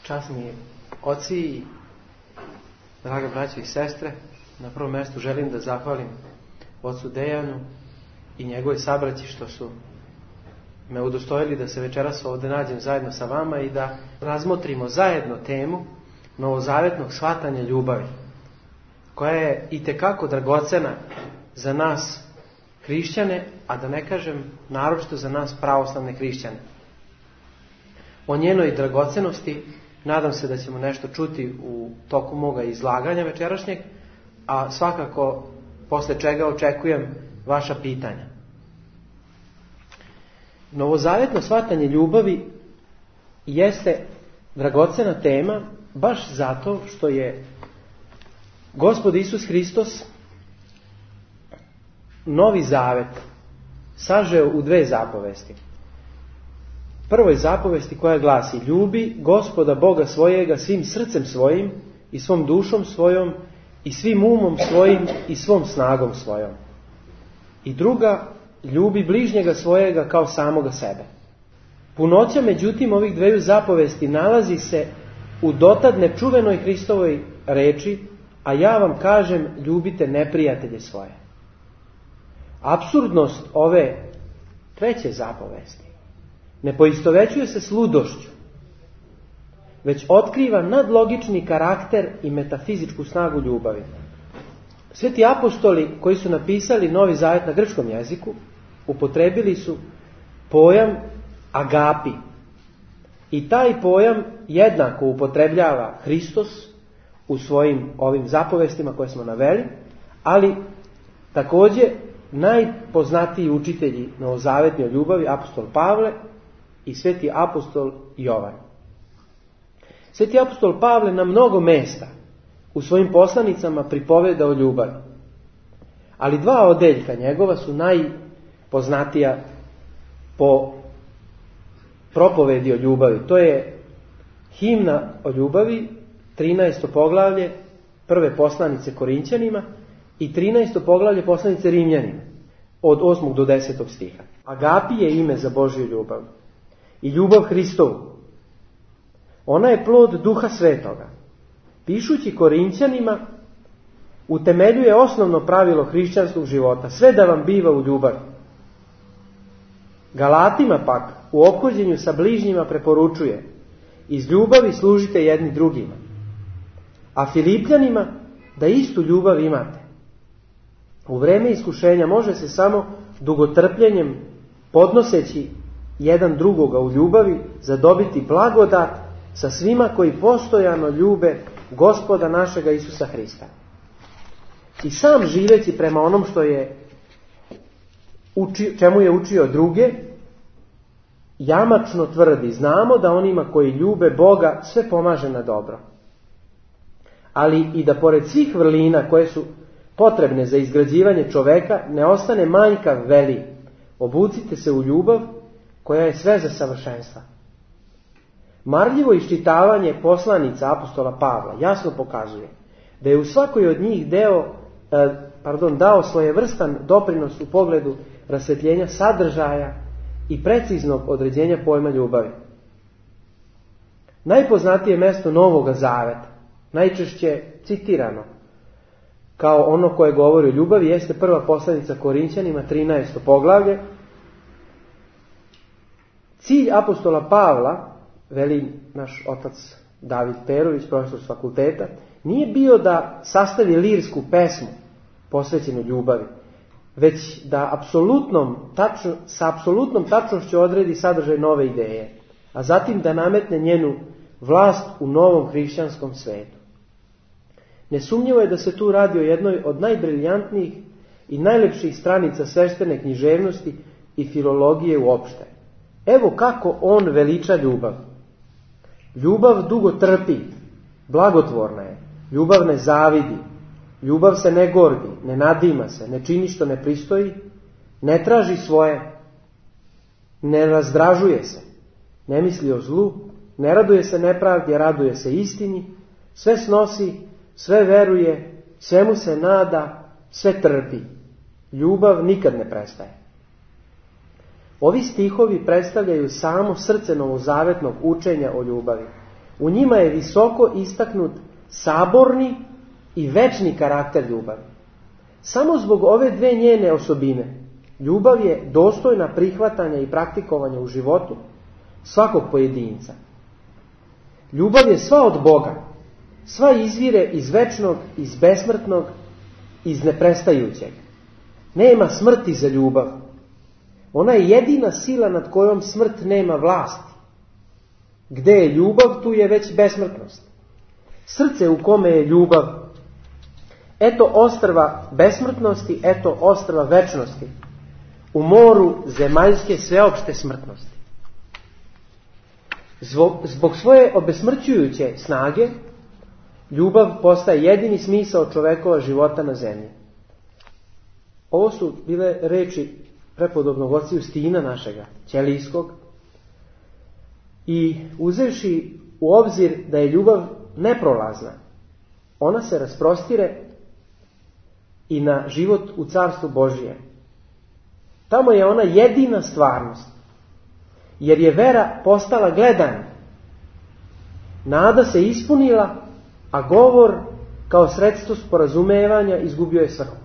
Časni oci i draga braćo i sestre, na prvom mjestu želim da zahvalim ocu Dejanu i njegove sabraći što su me udostojili da se večeras ovdje nađem zajedno sa vama i da razmotrimo zajedno temu novozavetnog shvatanja ljubavi, koja je itekako dragocena za nas hrišćane, a da ne kažem naročito za nas pravoslavne hrišćane. O njenoj dragocenosti nadam se da ćemo nešto čuti u toku moga izlaganja večerašnjeg, a svakako posle čega očekujem vaša pitanja. Novozavetno shvatanje ljubavi jeste dragocena tema baš zato što je Gospod Isus Hristos Novi Zavet sažeo u 2 zapovesti. Prvoj zapovesti koja glasi: ljubi Gospoda Boga svojega svim srcem svojim i svom dušom svojom i svim umom svojim i svom snagom svojom. I druga: ljubi bližnjega svojega kao samoga sebe. Punoća međutim ovih 2 zapovesti nalazi se u dotad nečuvenoj Hristovoj reči: a ja vam kažem, ljubite neprijatelje svoje. Apsurdnost ove 3. zapovesti ne poistovećuje se s ludošću, već otkriva nadlogični karakter i metafizičku snagu ljubavi. Sveti apostoli koji su napisali Novi Zavet na grčkom jeziku upotrebili su pojam agapi. I taj pojam jednako upotrebljava Hristos u svojim ovim zapovestima koje smo naveli, ali također najpoznatiji učitelji novozavetni o ljubavi, apostol Pavle i sveti apostol Jovan. Sveti apostol Pavle na mnogo mesta u svojim poslanicama pripoveda o ljubavi. Ali 2 odeljka njegova su najpoznatija po propovedi o ljubavi. To je himna o ljubavi, 13. poglavlje prve poslanice Korinćanima i 13. poglavlje poslanice Rimljanima, od 8. do 10. stiha. Agapi je ime za Božju ljubav i ljubav Hristovu. Ona je plod Duha Svetoga. Pišući Korinćanima utemeljuje osnovno pravilo hrišćanskog života: sve da vam biva u ljubavi. Galatima pak u ophođenju sa bližnjima preporučuje: iz ljubavi služite jedni drugima. A Filipljanima da istu ljubav imate. U vreme iskušenja može se samo dugotrpljenjem, podnoseći jedan drugoga u ljubavi, zadobiti blagodat sa svima koji postojano ljube Gospoda našega Isusa Hrista. I sam živeći prema onom što je čemu je učio druge, jamačno tvrdi: znamo da onima koji ljube Boga sve pomaže na dobro. Ali i da pored svih vrlina koje su potrebne za izgrađivanje čoveka ne ostane manjkav, veli: obucite se u ljubav koja je sve za savršenstva. Marljivo iščitavanje poslanica apostola Pavla jasno pokazuje da je u svakoj od njih dao svojevrstan doprinos u pogledu rasvetljenja sadržaja i preciznog određenja pojma ljubavi. Najpoznatije mjesto Novoga Zaveta, najčešće citirano kao ono koje govori o ljubavi, jeste prva poslanica Korinćanima, 13. poglavlje. Cilj apostola Pavla, veli naš otac David Perović, profesor s fakulteta, nije bio da sastavi lirsku pesmu posvećenu ljubavi, već da sa apsolutnom tačnošću odredi sadržaj nove ideje, a zatim da nametne njenu vlast u novom hrišćanskom svetu. Nesumnjivo je da se tu radi o jednoj od najbriljantnijih i najlepših stranica sveštene književnosti i filologije uopšte. Evo kako on veliča ljubav. Ljubav dugo trpi, blagotvorna je, ljubav ne zavidi, ljubav se ne gordi, ne nadima se, ne čini što ne pristoji, ne traži svoje, ne razdražuje se, ne misli o zlu, ne raduje se nepravdi, raduje se istini, sve snosi, sve veruje, svemu se nada, sve trpi. Ljubav nikad ne prestaje. Ovi stihovi predstavljaju samo srce novozavetnog učenja o ljubavi. U njima je visoko istaknut saborni i večni karakter ljubavi. Samo zbog ove dve njene osobine, ljubav je dostojna prihvatanja i praktikovanja u životu svakog pojedinca. Ljubav je sva od Boga, sva izvire iz večnog, iz besmrtnog, iz neprestajućeg. Nema smrti za ljubav. Ona je jedina sila nad kojom smrt nema vlasti. Gde je ljubav, tu je već besmrtnost. Srce u kome je ljubav, eto ostrva besmrtnosti, eto ostrva večnosti, u moru zemaljske sveopšte smrtnosti. Zbog svoje obesmrćujuće snage, ljubav postaje jedini smisao čovekova života na zemlji. Ovo su bile reči prepodobnog oca Justina našega, ćelijskog, i uzevši u obzir da je ljubav neprolazna, ona se rasprostire i na život u Carstvu Božijem. Tamo je ona jedina stvarnost, jer je vera postala gledanje. Nada se ispunila, a govor kao sredstvo sporazumevanja izgubio je svrhu.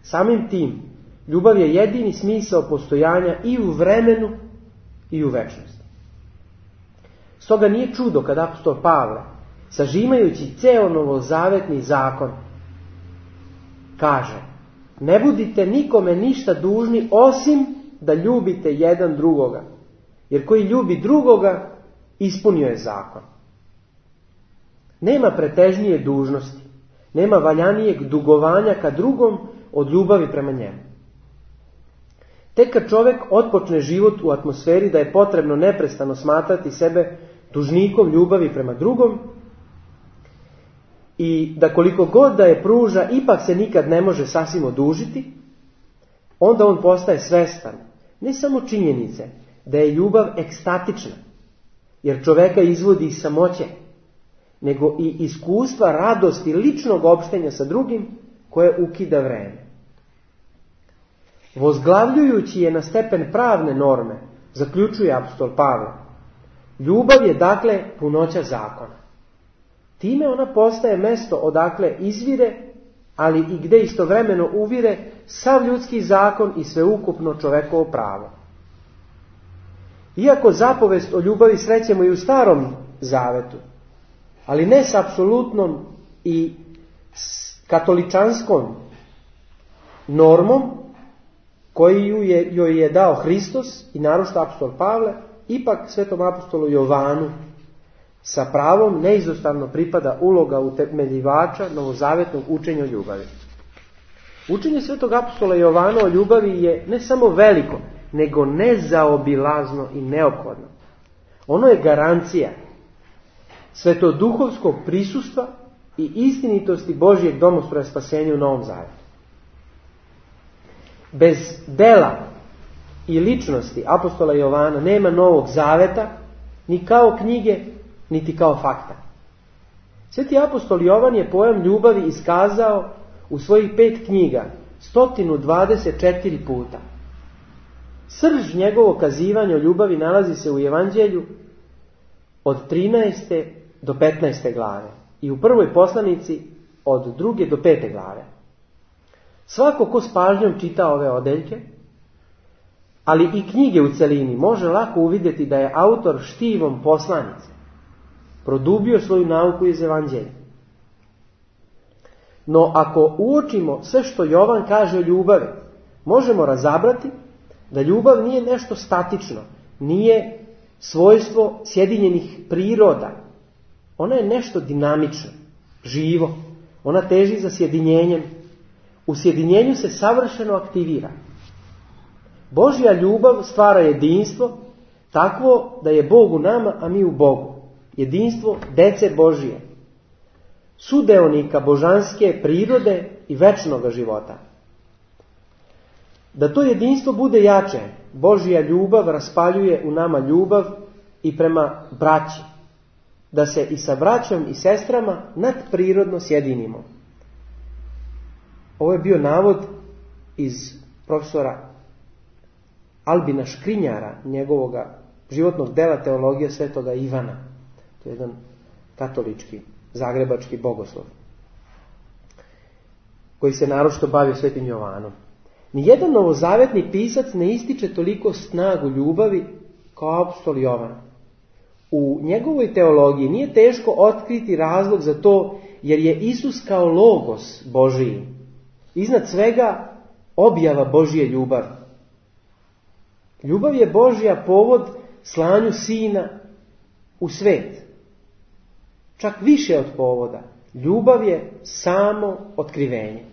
Samim tim, ljubav je jedini smisao postojanja i u vremenu i u večnosti. Stoga nije čudo kad apostol Pavle, sažimajući ceo novozavetni zakon, kaže: ne budite nikome ništa dužni osim da ljubite jedan drugoga, jer koji ljubi drugoga ispunio je zakon. Nema pretežnije dužnosti, nema valjanijeg dugovanja ka drugom od ljubavi prema njemu. Tek kad čovjek otpočne život u atmosferi da je potrebno neprestano smatrati sebe dužnikom ljubavi prema drugom i da koliko god da je pruža ipak se nikad ne može sasvim odužiti, onda on postaje svestan ne samo činjenice da je ljubav ekstatična, jer čoveka izvodi iz samoće, nego i iskustva radosti ličnog opštenja sa drugim koje ukida vreme. Vozglavljujući je na stepen pravne norme, zaključuje apostol Pavle, ljubav je dakle punoća zakona. Time ona postaje mesto odakle izvire, ali i gde istovremeno uvire sav ljudski zakon i sveukupno čovekovo pravo. Iako zapovest o ljubavi srećemo i u Starom Zavetu, ali ne s apsolutnom i katoličanskom normom koju joj je dao Hristos i naročito apostol Pavle, ipak svetom apostolu Jovanu sa pravom neizostavno pripada uloga utemeljivača novozavetnog učenja o ljubavi. Učenje svetog apostola Jovana o ljubavi je ne samo veliko, nego nezaobilazno i neophodno. Ono je garancija svetoduhovskog prisustva i istinitosti Božjeg domostroja spasenja u Novom Zavetu. Bez dela i ličnosti apostola Jovana nema Novog Zaveta, ni kao knjige, niti kao fakta. Sveti apostol Jovan je pojam ljubavi iskazao u svojih 5 knjiga 124 puta. Srž njegovog kazivanja o ljubavi nalazi se u Evanđelju od 13. do 15. glave i u prvoj poslanici od 2. do 5. glave. Svako ko s pažnjom čita ove odeljke, ali i knjige u celini, može lako uvidjeti da je autor štivom poslanice produbio svoju nauku iz Evanđelja. No ako uočimo sve što Jovan kaže o ljubavi, možemo razabrati da ljubav nije nešto statično, nije svojstvo sjedinjenih priroda. Ona je nešto dinamično, živo. Ona teži za sjedinjenjem. U sjedinjenju se savršeno aktivira. Božja ljubav stvara jedinstvo takvo da je Bog u nama, a mi u Bogu. Jedinstvo dece Božije, sudeonika božanske prirode i večnog života. Da to jedinstvo bude jače, Božja ljubav raspaljuje u nama ljubav i prema braći, da se i sa braćom i sestrama nadprirodno sjedinimo. Ovo je bio navod iz profesora Albina Škrinjara, njegovoga životnog dela Teologija svetoga Ivana. To je jedan katolički, zagrebački bogoslov, koji se naročito bavio Svetim Jovanom. Nijedan novozavetni pisac ne ističe toliko snagu ljubavi kao apostol Jovan. U njegovoj teologiji nije teško otkriti razlog za to, jer je Isus kao logos Božiji, iznad svega objava Božje ljubavi. Ljubav je Božja povod slanju Sina u svet. Čak više od povoda. Ljubav je samo otkrivenje.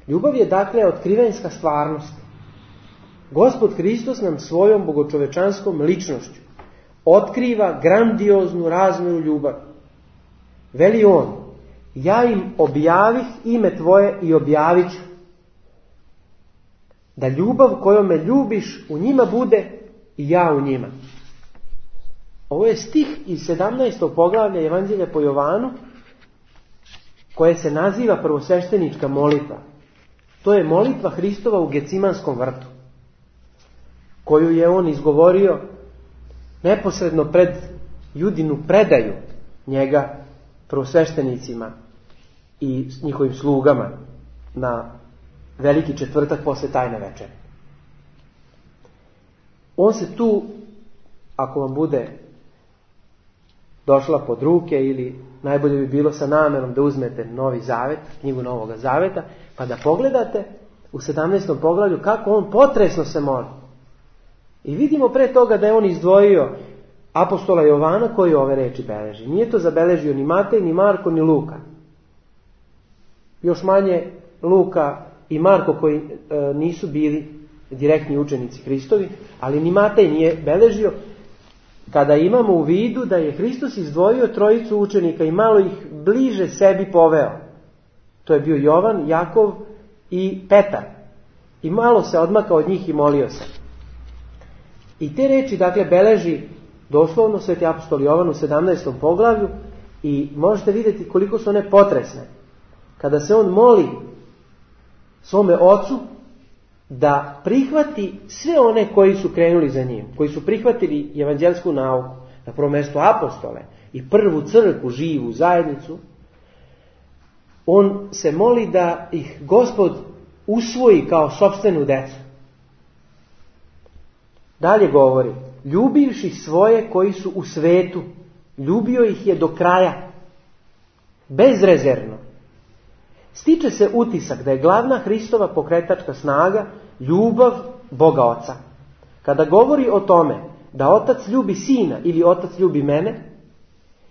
Ljubav je dakle otkrivenska stvarnost. Gospod Hristos nam svojom bogočovečanskom ličnošću otkriva grandioznu razmjeru ljubavi. Veli on: ja im objavih ime tvoje i objavit ću, da ljubav kojom me ljubiš u njima bude i ja u njima. Ovo je stih iz 17. poglavlja Evanđelja po Jovanu, koje se naziva prvosveštenička molitva. To je molitva Hristova u Gecimanskom vrtu, koju je on izgovorio neposredno pred Judinu predaju njega prvosveštenicima i njihovim slugama na Veliki četvrtak posle tajne večere. On se tu, ako vam bude došla pod ruke, ili najbolje bi bilo sa namerom da uzmete Novi Zavet, knjigu Novoga Zaveta, pa da pogledate u 17. poglavlju kako on potresno se moli. I vidimo pre toga da je on izdvojio apostola Jovana koji ove reči beleži. Nije to zabeležio ni Matej, ni Marko, ni Luka. Još manje Luka i Marko koji nisu bili direktni učenici Hristovi, ali ni Matej nije beležio, kada imamo u vidu da je Hristos izdvojio trojicu učenika i malo ih bliže sebi poveo. To je bio Jovan, Jakov i Petar. I malo se odmakao od njih i molio se. I te reči dakle beleži doslovno sveti apostol Jovan u 17. poglavlju i možete vidjeti koliko su one potresne. Kada se on moli svome ocu da prihvati sve one koji su krenuli za njim, koji su prihvatili evanđelsku nauku, na prvom mjestu apostole i prvu crkvu, živu zajednicu, on se moli da ih Gospod usvoji kao sopstvenu decu. Dalje govori: ljubivši svoje koji su u svetu, ljubio ih je do kraja, bezrezervno. Stiče se utisak da je glavna Hristova pokretačka snaga ljubav Boga Oca. Kada govori o tome da Otac ljubi Sina ili Otac ljubi mene,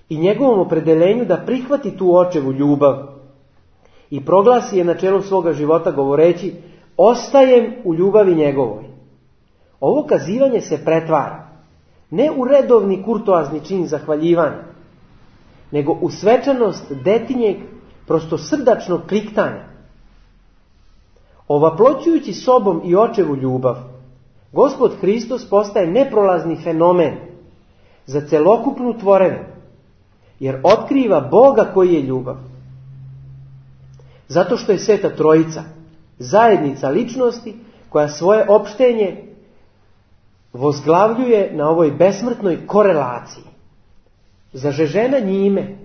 i njegovom opredeljenju da prihvati tu očevu ljubav i proglasi je načelom svoga života govoreći: ostajem u ljubavi njegovoj. Ovo kazivanje se pretvara ne u redovni kurtoazni čin zahvaljivanja, nego u svečanost detinjeg prostosrdačnog kliktanja. Ovaploćujući sobom i očevu ljubav, Gospod Hristos postaje neprolazni fenomen za celokupnu tvorevinu, jer otkriva Boga koji je ljubav. Zato što je Sveta Trojica zajednica ličnosti koja svoje opštenje vozglavljuje na ovoj besmrtnoj korelaciji. Zažežena njime,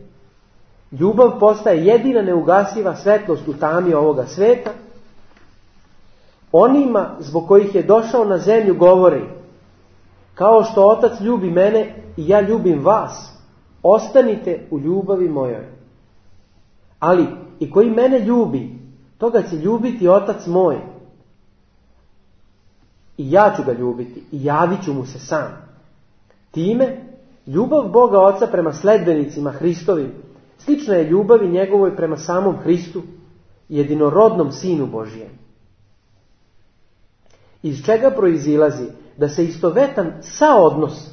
ljubav postaje jedina neugasiva svetlost u tami ovoga sveta. Onima zbog kojih je došao na zemlju govori: kao što Otac ljubi mene i ja ljubim vas, ostanite u ljubavi mojoj. Ali i koji mene ljubi, toga će ljubiti Otac moj. I ja ću ga ljubiti i javit ću mu se sam. Time ljubav Boga Oca prema sledbenicima Hristovim slična je ljubavi njegovoj prema samom Hristu, jedinorodnom Sinu Božijem. Iz čega proizilazi da se istovetan saodnos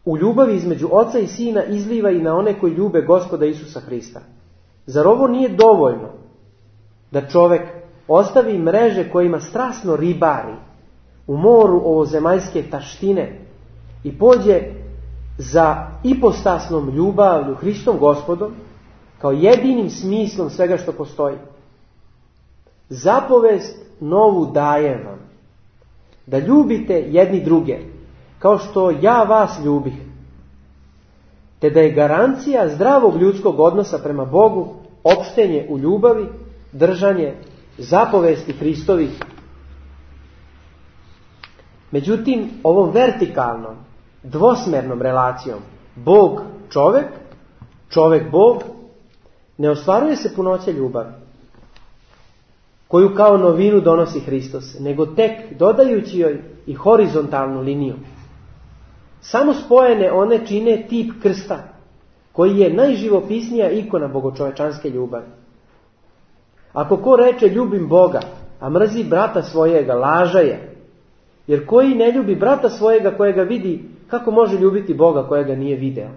u ljubavi između Oca i Sina izliva i na one koji ljube Gospoda Isusa Hrista. Zar ovo nije dovoljno da čovek ostavi mreže kojima strasno ribari u moru ovozemaljske taštine i pođe za ipostasnom ljubavlju Hristom Gospodom kao jedinim smislom svega što postoji? Zapovest novu dajem vam, da ljubite jedni druge kao što ja vas ljubih. te da je garancija zdravog ljudskog odnosa prema Bogu opštenje u ljubavi, držanje zapovesti Hristovih. Međutim, ovom vertikalnom, dvosmernom relacijom Bog-čovek, čovek-Bog, ne ostvaruje se punoća ljubavi, koju kao novinu donosi Hristos, nego tek dodajući joj i horizontalnu liniju. Samo spojene one čine tip krsta, koji je najživopisnija ikona bogočovečanske ljubavi. Ako ko reče ljubim Boga, a mrzi brata svojega, laža je. Jer koji ne ljubi brata svojega kojega vidi, kako može ljubiti Boga kojega nije video?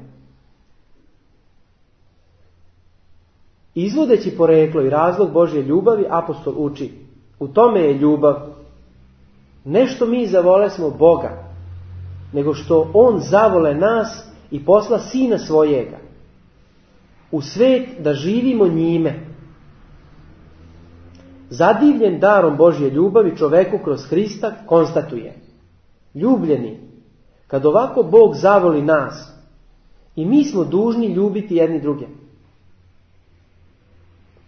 Izvodeći poreklo i razlog Božje ljubavi, apostol uči: u tome je ljubav. Ne što mi zavole smo Boga, nego što On zavole nas i posla Sina svojega u svet da živimo njime. Zadivljen darom Božje ljubavi čoveku kroz Hrista konstatuje: ljubljeni, kad ovako Bog zavoli nas, i mi smo dužni ljubiti jedni druge.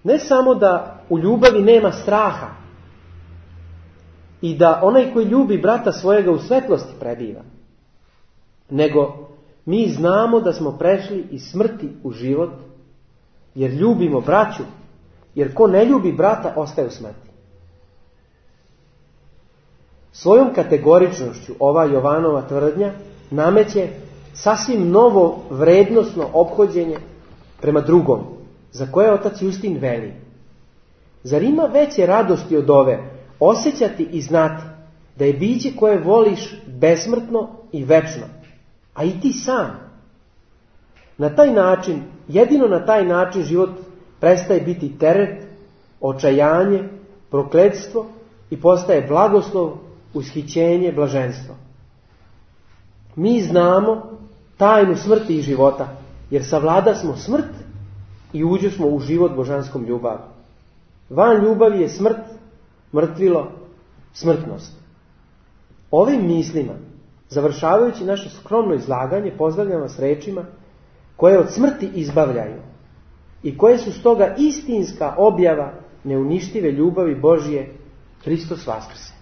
Ne samo da u ljubavi nema straha i da onaj koji ljubi brata svojega u svetlosti prebiva, nego mi znamo da smo prešli iz smrti u život, jer ljubimo braću, jer ko ne ljubi brata ostaje u smrti. Svojom kategoričnošću ova Jovanova tvrdnja nameće sasvim novo vrednosno ophođenje prema drugom, za koje otac Justin veli: zar ima veće radosti od ove osjećati i znati da je biće koje voliš besmrtno i večno, a i ti sam? Na taj način, jedino na taj način život prestaje biti teret, očajanje, prokletstvo i postaje blagoslov, ushićenje, blaženstvo. Mi znamo tajnu smrti i života, jer savlada smo smrt i uđe smo u život božanskom ljubavi. Van ljubavi je smrt, mrtvilo, smrtnost. Ovim mislima, završavajući naše skromno izlaganje, pozdravljam vas rečima koje od smrti izbavljaju i koje su stoga istinska objava neuništive ljubavi Božje. Hristos vaskrse.